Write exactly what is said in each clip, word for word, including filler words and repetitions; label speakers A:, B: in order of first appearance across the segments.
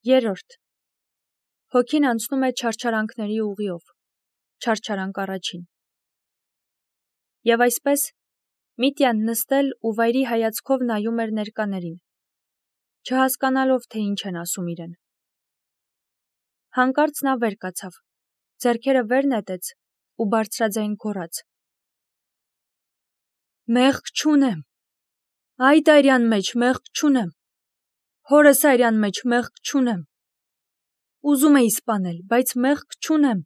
A: Երրորդ. Հոգին անցնում է չարչարանքների ուղիով, չարչարանք առաջին։ Եվ այսպես Միտյան նստել ու վայրի հայացքով նայում էր ներկաներին, չհասկանալով, թե ինչ են ասում իրեն։ Հանկարծ նա վեր կացավ, ձեռքերը վեր նետեց ու բարձրաձայն գոռաց. Մեղք չունեմ, այդ այրյան մեջ մեղք չունեմ, հորս այրյան մեջ մեղք չունեմ, ուզում էի սպանել, բայց մեղք չունեմ,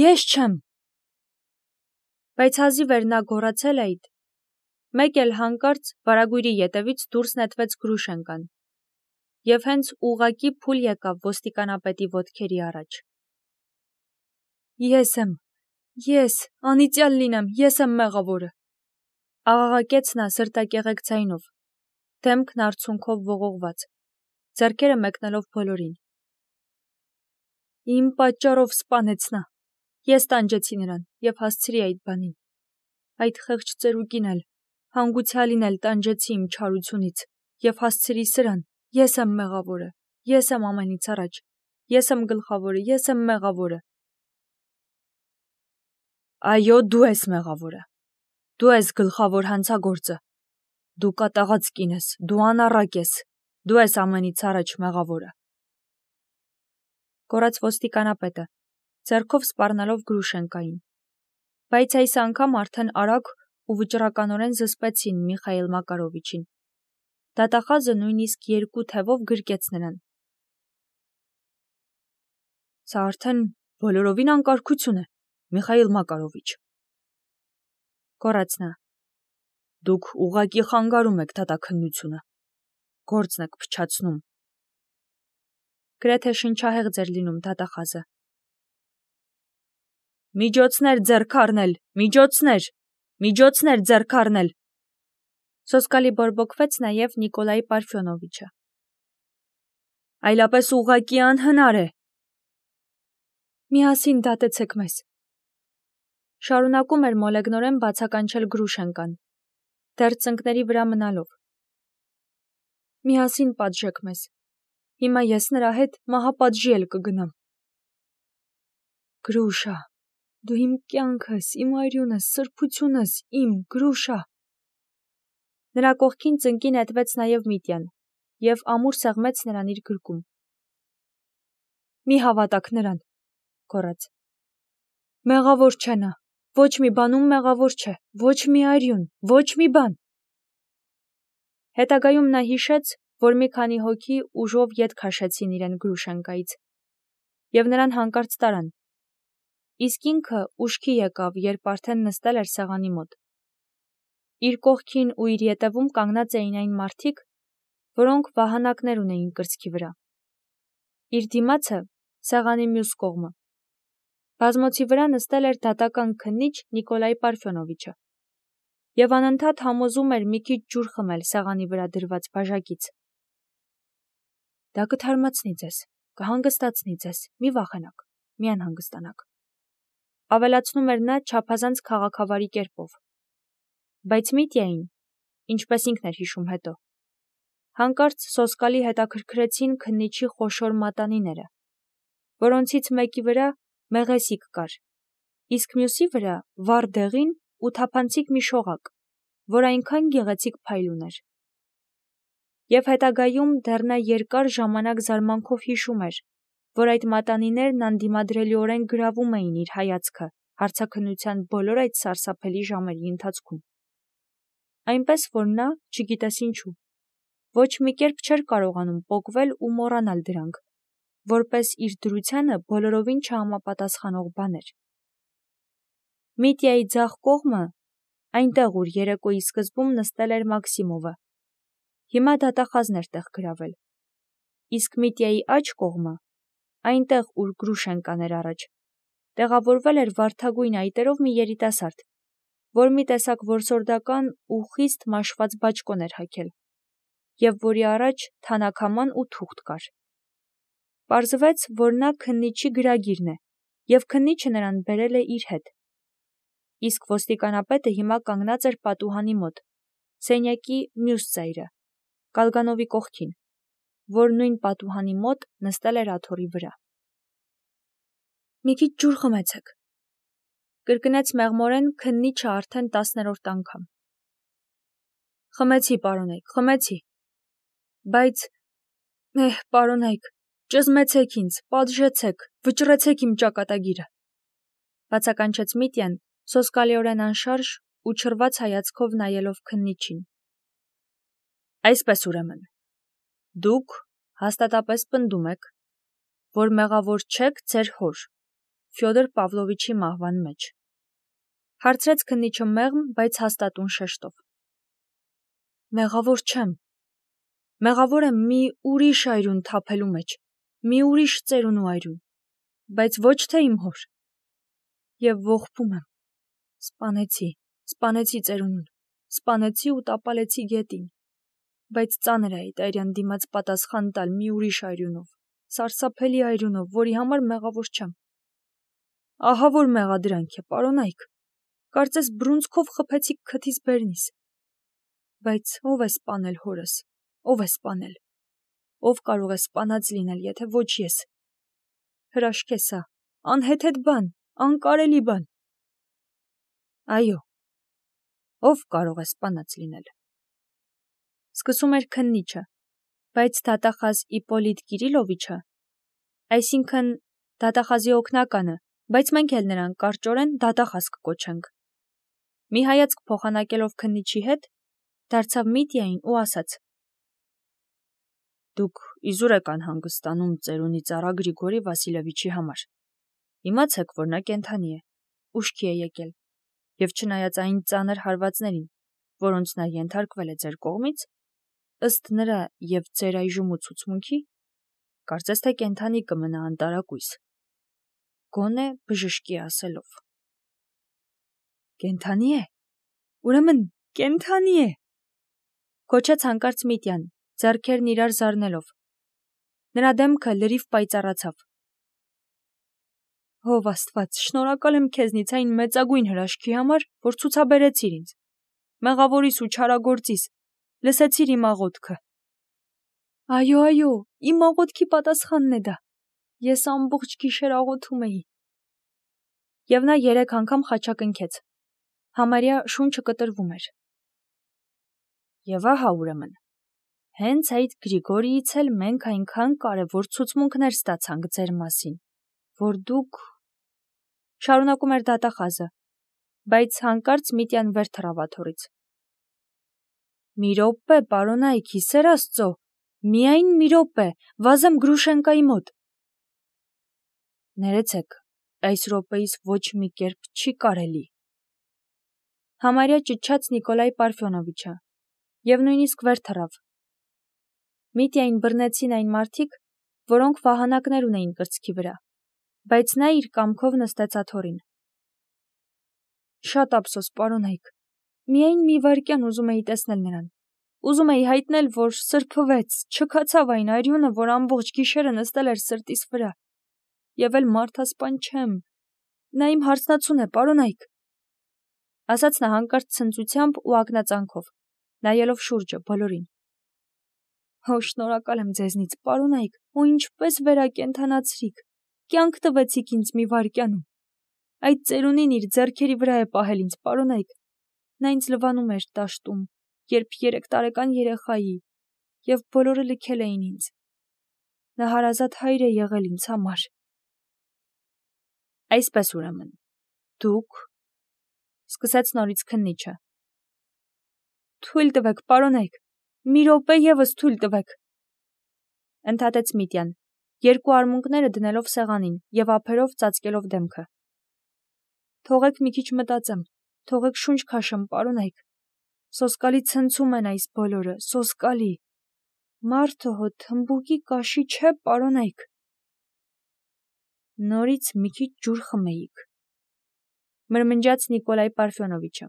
A: ես չեմ։ Բայց հազիվ էր նա գոռացել այդ, մեկ էլ հանկարծ վարագույրի ետևից դուրս նետվեց Գրուշենկան, և հենց ուղղակի փուլ եկավ ոստիկանապետի ոտքերի առաջ։ Ես եմ, ես, անիծյալ լինեմ, ես եմ մեղավորը, աղաղակեց նա սրտակեղեք ձայնով, դեմքն արցունքով ողողված, ձեռքերը մեկնելով բոլորին։ Իմ պատճառով սպանեց նա, ես տանջեցի նրան և հասցրի այդ բանին, այդ խեղճ ծերուկին էլ, հանգուցյալին էլ տանջեցի իմ չարությունից և հասցրի սրան, ես եմ մեղավորը, ես եմ ամենից առաջ, ես եմ գլխավորը, ես եմ մեղավորը։ Այո, դու ես մեղավորը, դու ես գլխավոր հանցագործը, դու կատաղած կին ես, դու անառակ ես, դու ես ամենից առաջ մեղավորը։ Գոռաց ոստիկանապետը, ձեռքով սպառնալով Գրուշենկային, բայց այս անգամ արդեն արագ ու վճռականորեն զսպեցին Միխայիլ Մակարովիչին։ Դատախազը նույնիսկ երկու թևով գրկեց նրան։ Սա արդեն բոլորովին անկարգություն է, Միխայիլ Մակարովիչ, գոռաց նա։ Դուք ուղղակի խանգարում եք դատաքննությունը, գործն եք փչացնում։ Գրեթե շնչահեղձ էր լինում դատախազը։ Միջոցներ ձեռք առնել, միջոցներ, միջոցներ ձեռք առնել։ Սոսկալի բորբոքվեց նաև Նիկոլայ Պարֆյոնովիչը։ Այլապես ուղղակի անհնար է։ Միասին դատեցեք մեզ։ Շարունակում էր մոլեգնորեն բացականչել Գրուշենկան, դեռ ծնկների վրա մնալով։ Միասին պատժեք մեզ, հիմա ես նրա հետ մահապատժի էլ կգնամ։ Գրուշա, դու իմ կյանքս, իմ արյունս, սրբությունս, իմ Գրուշա։ Նրա կողքին ծնկի նետվեց նաև Միտյան և ամուր սեղմեց նրան իր գրկում։ Մի հավատաք նրան, գոռաց։ Մեղավոր չէ նա, ոչ մի բանում մեղավոր չէ, ոչ մի արյուն, ոչ մի բան։ Հետագայում նա հիշեց, որ մի քանի հոգի ուժով ետ քաշեցին իրեն Գրուշենկայից և նրան հանկարծ տարան, իսկ ինքը ուշքի եկավ, երբ արդեն նստել էր սեղանի մոտ։ Իր կողքին ու իր ետևում կանգնած էին այն մարդիկ, որոնք վահանակներ ունեին կրծքի վրա։ Իր դիմացը սեղանի մյուս կողմը։ Բազմոցի վրա նստել էր դատական քննիչ Նիկոլայ Պարֆյոնովիչը և անընդհատ համոզում էր մի քիչ ջուր խմել սեղանի վրա դրված բաժակից։ Դա կթարմացնի ձեզ, կհանգստացնի ձեզ, մի վախենաք, մի անհանգստանաք, ավելացնում էր նա չափազանց քաղաքավարի կերպով։ Բայց Միտյային, ինչպես ինքն էր հիշում հետո, հանկարծ սոսկալի հետաքրքրեցին քննիչի խոշոր մատանիները, որոնցից մեկի վրա մեղեսիկ կար, իսկ մյուսի վրա վառ դեղին ու թափանցիկ մի շողակ, որ այնքան գեղեցիկ փայլ ուներ։ Եվ հետագայում դեռ նա երկար ժամանակ զարմանքով հիշում էր, որ այդ մատանիներն անդիմադրելիորեն գրավում էին իր հայացքը հարցաքննության բոլոր այդ սարսափելի ժամերի ընթացքում։ Այնպես որ նա, չգիտես ինչու, ոչ մի կերպ չէր կարողանում պոկվել ու մոռանալ դրանք, որպես իր դրությանը բոլորովին չհամապատասխանող բաներ։ Միտյայի ձախ կողմը, այնտեղ ուր երեկոյի սկզբում նստել էր Մաքսիմովը, հիմա դատախազն էր տեղ գրավել, իսկ Միտյայի աջ կողմը, այնտեղ ուր Գրուշենկան էր առաջ, տեղավորվել էր վարդագույն այտերով մի երիտասարդ, որ մի տեսակ որսորդական ու խիստ մաշված բաճկոն էր հագել, և որի առաջ թանաքաման ու թուղթ կար։ Պարզվեց, որ նա քննիչի գրագիրն է, և քննիչը նրան բերել է իր հետ։ Իսկ ոստիկանապետը հիմա կանգնած էր պատուհանի մոտ, սենյակի մյուս ծայրը, Կալգանովի կողքին, որ նույն պատուհանի մոտ նստել էր աթոռի վրա։ Մի քիչ ջուր խմեցեք, կրկնեց մեղմորեն քննիչը արդեն տասներորդ անգամ։ Խմեցի, պարոնայք, խմեցի։ Բայց, էհ, պարոնայք, ճզմեցեք ինձ, պատժեցեք, վճռեցեք իմ ճակատագիրը, բացականչեց Միտյան, սոսկալիորեն անշարժ ու չռված հայացքով նայելով քննիչին։ Այսպես ուրեմն, դուք հաստատապես պնդում եք, որ մեղավոր չեք ձեր հոր, Ֆյոդոր Պավլովիչի մահվան մեջ, հարցրեց քննիչը մեղմ, բայց հաստատուն շեշտով։ Մեղավոր չեմ, մեղավոր եմ մի ուրիշ այրուն թափելու մեջ, մի ուրիշ ծերունու այրուն, բայց ոչ թե իմ հոր։ Եվ ողբում եմ, սպանեցի, սպանեցի ծերունուն, սպանեցի ու տապալեցի գետին, բայց ծանր է այդ այրյան դիմաց պատասխան տալ մի ուրիշ այրունով, սարսափելի այրունով, որի համար մեղավոր չեմ։ Ահա որ մեղադրանք է, պարոնայք, կարծես բռունցքով խփեցիք քթից բերնիս։ Բայց ով է սպանել հորս, ով է սպանել, ով կարող է սպանած լինել, եթե ոչ ես։ Հրաշք է սա, անհեթեթ բան, անկարելի բան։ Այո, ով կարող է սպանած լինել։ Սկսում էր քննիչը, բայց դատախազ Իպոլիտ Կիրիլովիչը, այսինքն դատախազի օգնականը, բայց մենք էլ նրան կարճորեն դատախազ կկոչենք։ Մի հայացք փոխանակելով քննիչի հետ, դարձավ Միտյային ու ասաց. Դուք իզուր եք անհանգստանում ծերունի ծառա Գրիգորի Վասիլևիչի համար։ Իմացեք, որ նա կենդանի է, ուշքի է եկել, եւ չնայած այն ծանր հարվածներին, որոնց նա ենթարկվել է ձեր կողմից, ըստ նրա եւ ձեր այժմ ու ցուցմունքի, կարծես թե կենդանի կմնա անտարակույս։ Գոնե բժշկի ասելով։ Կենդանի է։ Ուրեմն կենդանի է։ Քոչեց հանկարծ Միտյան, ձեռքերն իրար զարնելով։ Նրա դեմքը լրիվ պայծառացավ։ Ով Աստված, շնորհակալ եմ քեզնից այն մեծագույն հրաշքի համար, որ ցուցաբերեցիր ինձ։ Մեղավորիս ու չարագործիս, լսեցիր իմ աղոթքը։ Այո, այո, իմ աղոթքի պատասխանն է դա։ Ես ամբողջ գիշեր աղոթում էի։ Եվ նա երեք անգամ խաչակնքեց։ Համարյա շունչը կտրվում էր։ Եվ ահա ուրեմն, հենց այդ Գրիգորիից էլ մենք այնքան կարևոր ցուցմունքներ ստացանք ձեր մասին, որ դուք… Շարունակում էր դատախազը, բայց հանկարծ Միտյան վեր թռավ աթոռից։ Մի րոպե, պարոնայք, հիսեր Աստծո, միայն մի րոպե, վազեմ Գրուշենկայի մոտ։ Ներեցեք, այս րոպեիս ոչ մի կերպ չի կարելի։ Համարյա ճչաց Նիկոլայ Պարֆյոնովիչը, եւ նույնիսկ վեր թռավ։ Միտյային բռնեցին այն մարդիկ, որոնք վահանակներ ունեին կրծքի վրա, բայց նա իր կամքով նստեց աթոռին։ Շատ ափսոս, պարոնայք, միայն մի վայրկյան ուզում էի տեսնել նրան։ Ուզում էի հայտնել, որ սրբվեց, չքացավ այն այրյունը, որ ամբողջ գիշերը նստել էր սրտիս վրա։ Եվ էլ մարդասպան չեմ։ Նա իմ հարսնացուն է, պարոնայք, ասաց նա հանկարծ ցնծությամբ ու ակնածանքով, նայելով շուրջը բոլորին։ Հո, շնորհակալ եմ ձեզնից, պարոնայք, ու ինչպես վերակենդանացրիք, կյանք տվեցիք ինձ մի վայրկյանում։ Այդ ծերունին իր ձեռքերի վրա է պահել ինձ, պարոնայք։ Նա ինձ լվանում էր դաշտում, երբ երեք տարեկան երեխայի, եւ բոլորը լքել էին ինձ։ Նա հարազատ հայր է եղել ինձ համար։ Այսպես ուրեմն, դուք… Սկսեց նորից քննիչը։ Թույլ տվեք, պարոնայք, մի րոպե եւս թույլ տվեք։ Ընդհատեց Միտյան, երկու արմունկները դնելով սեղանին եւ ափերով ծածկելով դեմքը։ Թողեք մի քիչ մտածեմ, թողեք շունչ քաշեմ, պարոնայք։ Սոսկալի ցնցում են այս բոլորը, սոսկալի։ Մարդը հո թմբուկի կաշի չէ, պարոնայք։ Նորից մի քիչ ջուր խմեիք, մրմնջաց Նիկոլայ Պարֆյոնովիչը։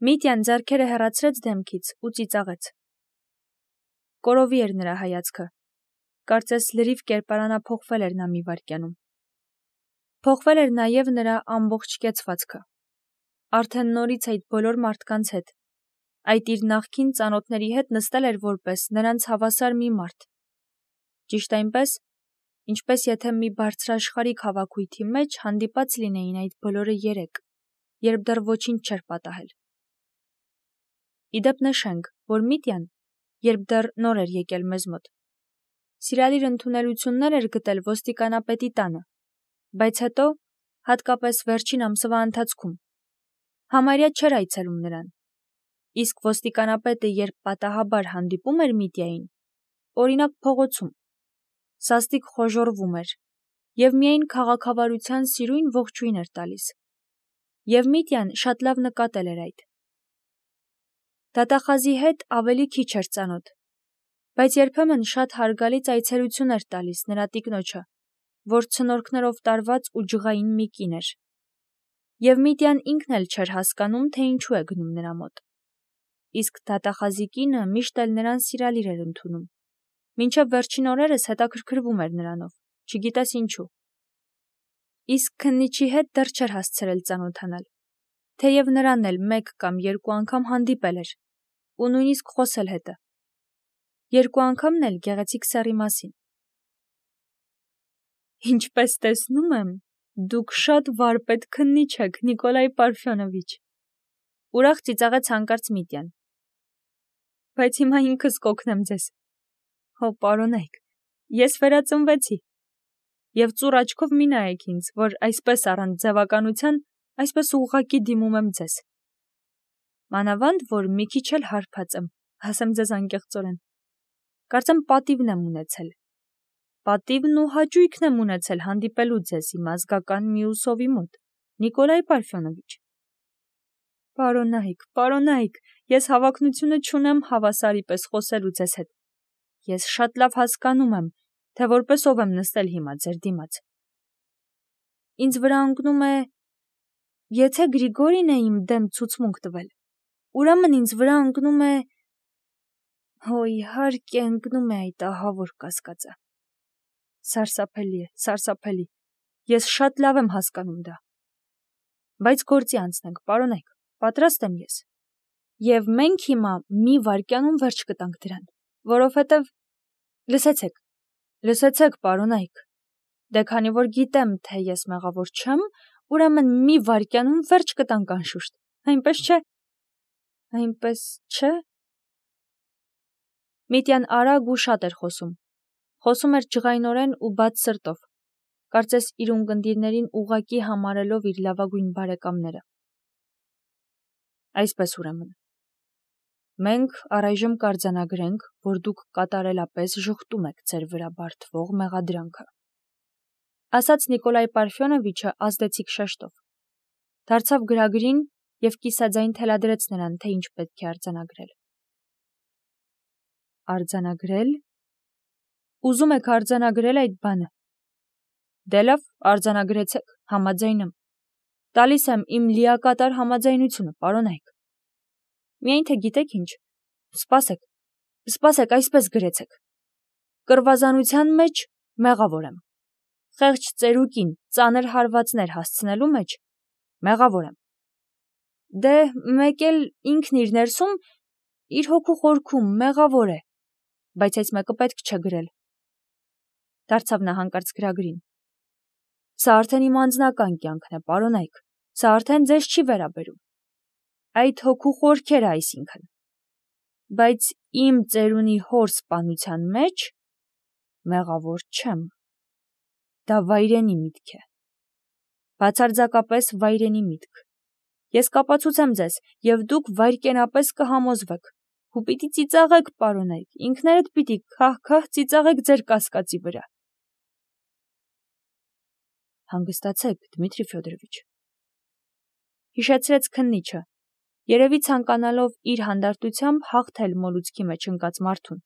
A: Միտյան ձեռքերը հեռացրեց դեմքից ու ծիծաղեց։ Կորովի էր նրա հայացքը, կարծես լրիվ կերպարանափոխվել էր նա մի վայրկյանում։ Փոխվել էր նաև նրա ամբողջ կեցվածքը։ Արդեն նորից այդ բոլոր մարդկանց հետ, Այդ իր նախկին ծանոթների հետ նստել էր որպես նրանց հավասար մի մարդ։ Ճիշտ այնպես, ինչպես եթե մի բարձրաշխարհիկ հավաքույթի մեջ հանդիպած լինեին այդ բոլորը երեք, երբ դեռ ոչինչ չէր պատահել։ Իդեպ նշենք, որ Միտյան, երբ դեռ նոր էր եկել մեզ մոտ, սիրալիր ընդունելություններ էր գտել ոստիկանապետի տանը, բայց հետո, հատկապես վերջին ամսվա ընթացքում, համարյա չէր այցելում նրան, իսկ ոստիկանապետը երբ պատահաբար հանդիպում էր Միտյային, օրինակ փողոցում, սաստիկ խոժոռվում էր և միայն քաղաքավարության սիրույն ողջույն էր տալիս, և Միտյան շատ լավ նկատել էր այդ։ Դատախազի հետ ավելի քիչ էր ծանոթ, բայց երբեմն շատ հարգալից այցելություն էր տալիս նրա տիկնոջը, որ ցնորքներով տարված ու ջղային մի կին էր, և Միտյան ինքն էլ չէր հասկանում, թե ինչու է գնում նրա մոտ, իսկ դատախազի կինը միշտ էլ նրան սիրալիր էր ընդունում, մինչև վերջին օրերս հետաքրքրվում էր նրանով, չգիտես ինչու։ Իսկ քննիչի հետ դեռ չէր հասցրել ծանոթանալ, թեև նրան էլ մեկ կամ երկու անգամ հանդիպել էր, ու նույնիսկ խոսել հետը, երկու անգամն էլ գեղեցիկ սեռի մասին։ Ինչպես տեսնում եմ, դուք շատ վարպետ քննիչ եք, Նիկոլայ Պարֆյոնովիչ, ուրախ ծիծաղեց հանկարծ Միտյան։ Բայց հիմա ինքս կօգնեմ ձեզ։ Հո, պարոնայք, ես վերածնվեցի, և ծուռ աչքով մի նայեք ինձ, որ այսպես առանց ձևականության, այսպես ուղղակի դիմում եմ ձեզ։ Մանավանդ, որ մի քիչ էլ հարբած եմ, ասեմ ձեզ անկեղծորեն։ Կարծեմ պատիվն եմ ունեցել։ Պատիվն ու հաճույքն եմ ունեցել հանդիպելու ձեզ իմ ազգական Միուսովի մոտ, Նիկոլայ Պարֆյոնովիչ։ Պարոնայք, պարոնայք, ես հավակնությունը չունեմ հավասարի պես խոսելու ձեզ հետ։ Ես շատ լավ հասկանում եմ, թե որպես ով եմ նստել հիմա ձեր դիմաց։ Ինձ վրա ընկնում է, եթե Գրիգորին է իմ դեմ ցուցմունք տվել, ուրեմն ինձ վրա ընկնում է, հո իհարկե ընկնում է այդ ահավոր կասկածը։ Սարսափելի է, սարսափելի, ես շատ լավ եմ հասկանում դա։ Բայց գործի անցնենք, պարոնայք, պատրաստ եմ ես։ Եվ մենք հիմա մի վայրկյանում վերջ կտանք դրան, որովհետև, լսեցեք, լսեցեք, պարոնայք, դե քանի որ գիտեմ, թե ես մեղավոր չեմ, ուրեմն մի վայրկյանում վերջ կտանք անշուշտ, այնպես չէ։ Այնպես չէ։ Միտյան արագ ու շատ էր խոսում։ Խոսում էր ջղայնորեն ու բաց սրտով, կարծես իր ունկնդիրներին ուղղակի համարելով իր լավագույն բարեկամները։ Այսպես ուրեմն, մենք առայժմ կարձանագրենք, որ դուք կատարելապես ժխտում եք ձեր վրա բարդվող մեղադրանքը, ասաց Նիկոլայ Պարֆյոնովիչը ազդեցիկ շեշտով, դարձավ գրագրին և կիսաձայն թելադրեց նրան, թե ինչ պետք է արձանագրել։ Արձանագրել։ Ուզում եք արձանագրել այդ բանը։ Դե լավ, արձանագրեցեք, համաձայն եմ։ Տալիս եմ իմ լիակատար համաձայնությունը, պարոնայք։ Միայն թե գիտեք ինչ, սպասեք, սպասեք, այսպես գրեցեք։ Կռվազանության մեջ մեղավոր եմ։ Խեղճ ծերուկին ծանր հարվածներ հասցնելու մեջ մեղավոր եմ։ Դե մեկ էլ ինքն իր ներսում, իր հոգու խորքում մեղավոր է, բայց այս մեկը պետք չէ գրել։ Դարձավ նա հանկարծ գրագրին։ Սա արդեն իմ անձնական կյանքն է, պարոնայք, սա արդեն ձեզ չի վերաբերում։ Այդ հոգու խորքերը այսինքն։ Բայց իմ ծերունի հոր սպանության մեջ մեղավոր չեմ։ Դա վայրենի միտք է։ Բացարձակապես վայրենի միտք։ Ես կապացուցեմ ձեզ, և դուք վայրկենապես կհամոզվեք, ու պիտի ծիծաղեք, պարոնայք, ինքներդ պիտի քահ-քահ ծիծաղեք ձեր կասկածի վրա։ Հանգստացեք, Դմիտրի Ֆյոդորովիչ, հիշեցրեց քննիչը, երևի ցանկանալով իր հանդարտությամբ հաղթել մոլուցքի մեջ ընկած մարդուն։